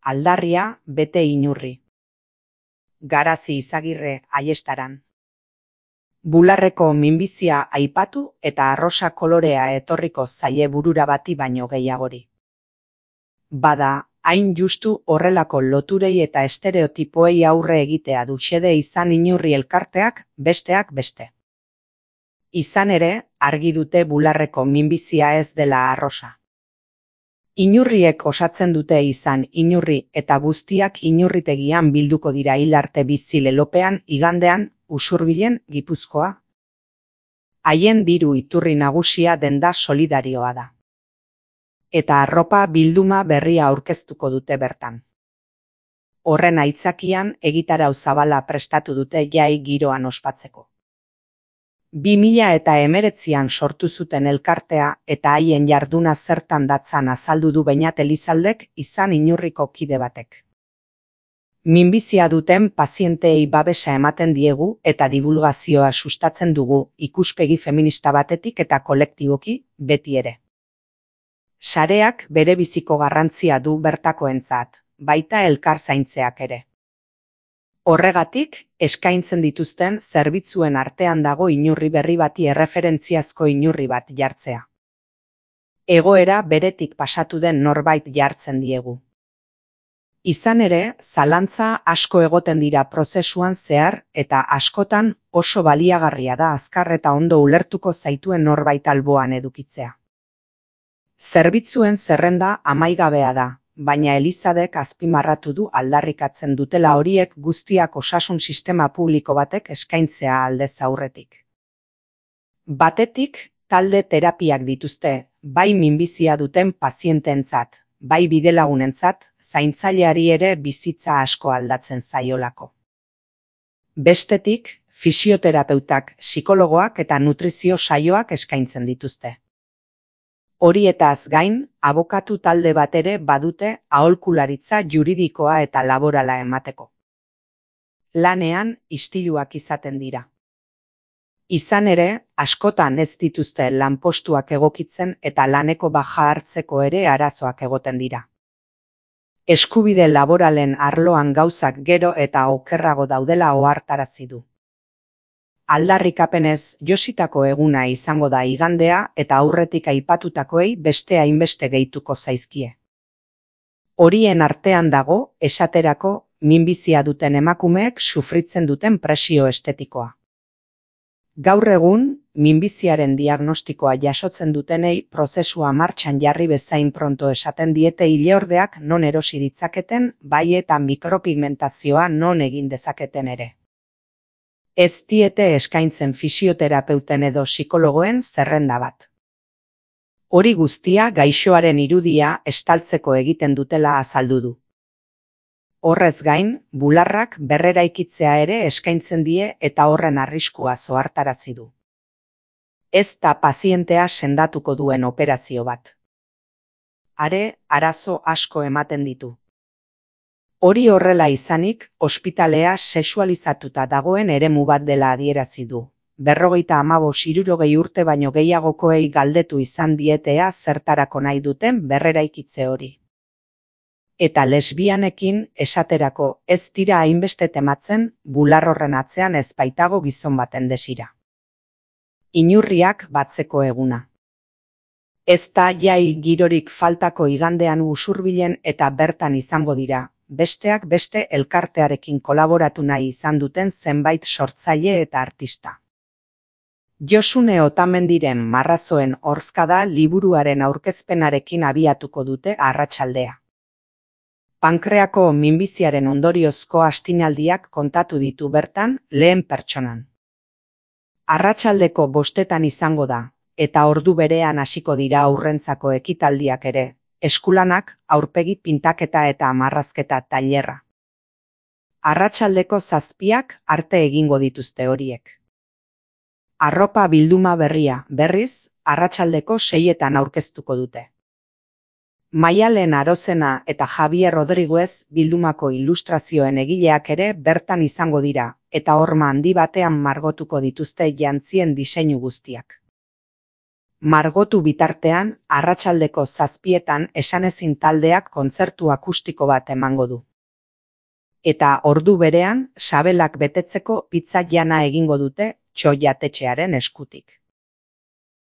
aldarria bete inurri. Garazi Izagirre Aiestaran. Bularreko minbizia aipatu eta arrosa kolorea etorriko zaie burura bati baino gehiagori. Bada, hain justu horrelako loturei eta estereotipoei aurre egitea du xede izan inurri elkarteak besteak beste. Izan ere, argi dute bularreko minbizia ez dela arrosa. Inurriek osatzen dute izan inurri eta guztiak inurritegian bilduko dira hil arte bizi lelopean igandean Usurbilen Gipuzkoa. Haien diru iturri nagusia denda solidarioa da. Eta arropa bilduma berria aurkeztuko dute bertan. Horren aitzakian egitarau zabala prestatu dute jai giroan ospatzeko. 2019an sortu zuten elkartea eta haien jarduna zertan datzan azaldu du Beñat Elizaldek izan inurriko kide batek. Minbizia duten pazienteei babesa ematen diegu eta divulgazioa sustatzen dugu ikuspegi feminista batetik eta kolektiboki beti ere. Sareak bere biziko garrantzia du bertakoentzat, baita elkar zaintzeak ere. Horregatik, eskaintzen dituzten zerbitzuen artean dago inurri berri bati erreferentziazko inurri bat jartzea. Egoera beretik pasatu den norbait jartzen diegu. Izan ere, zalantza asko egoten dira prozesuan zehar eta askotan oso baliagarria da azkar eta ondo ulertuko zaituen norbait alboan edukitzea. Zerbitzuen zerrenda amaigabea da. Baina Elizadek azpimarratu du aldarrikatzen dutela horiek guztiak osasun sistema publiko batek eskaintzea aldez aurretik. Batetik, talde terapiak dituzte, bai minbizia duten pazienteentzat, bai bidelagunentzat, zaintzaileari ere bizitza asko aldatzen zaiolako. Bestetik, fisioterapeutak, psikologoak eta nutrizio saioak eskaintzen dituzte. Horietaz gain, abokatu talde bat ere badute aholkularitza juridikoa eta laborala emateko. Lanean istiluak izaten dira. Izan ere, askotan ez dituzte lanpostuak egokitzen eta laneko baja hartzeko ere arazoak egoten dira. Eskubide laboralen arloan gauzak gero eta okerrago daudela ohartarazi du. Aldarrikapenez jositako eguna izango da igandea eta aurretik aipatutakoei beste hainbeste gehituko zaizkie. Horien artean dago, esaterako, minbizia duten emakumeek sufritzen duten presio estetikoa. Gaur egun, minbiziaren diagnostikoa jasotzen dutenei prozesua martxan jarri bezain pronto esaten diete ileordeak non erosi ditzaketen, bai eta mikropigmentazioa non egin dezaketen ere. Ez diete eskaintzen fisioterapeuten edo psikologoen zerrenda bat. Hori guztia gaixoaren irudia estaltzeko egiten dutela azaldu du. Horrez gain, bularrak berreraikitzea ere eskaintzen die eta horren arriskua ohartarazi du. Ez da pazientea sendatuko duen operazio bat. Are, arazo asko ematen ditu. Hori horrela izanik, ospitalea sexualizatuta dagoen eremu bat dela adierazi du. 55-60 urte baino gehiagokoei galdetu izan dietea zertarako nahi duten berreraikitze hori. Eta lesbianekin, esaterako, ez dira hainbeste tematzen, bular horren atzean ez baitago gizon baten desira. Inurriak batzeko eguna. Ez da jai girorik faltako igandean Usurbilen eta bertan izango dira. Besteak beste elkartearekin kolaboratu nahi izan duten zenbait sortzaile eta artista. Josune Otamendiren Marrazoen Horzkada liburuaren aurkezpenarekin abiatuko dute arratsaldea. Pankreako minbiziaren ondoriozko astinaldiak kontatu ditu bertan lehen pertsonan. Arratsaldeko 5 izango da, eta ordu berean hasiko dira aurrentzako ekitaldiak ere. Eskulanak, aurpegi pintaketa eta marrazketa tailerra. Arratsaldeko 7 arte egingo dituzte horiek. Arropa bilduma berria, berriz, arratsaldeko 6 aurkeztuko dute. Maialen Arozena eta Javier Rodriguez bildumako ilustrazioen egileak ere bertan izango dira, eta horma handi batean margotuko dituzte jantzien diseinu guztiak. Margotu bitartean, arratsaldeko 7etan esanezin taldeak kontzertu akustiko bat emango du. Eta ordu berean, sabelak betetzeko pizza jana egingo dute Txo jatetxearen eskutik.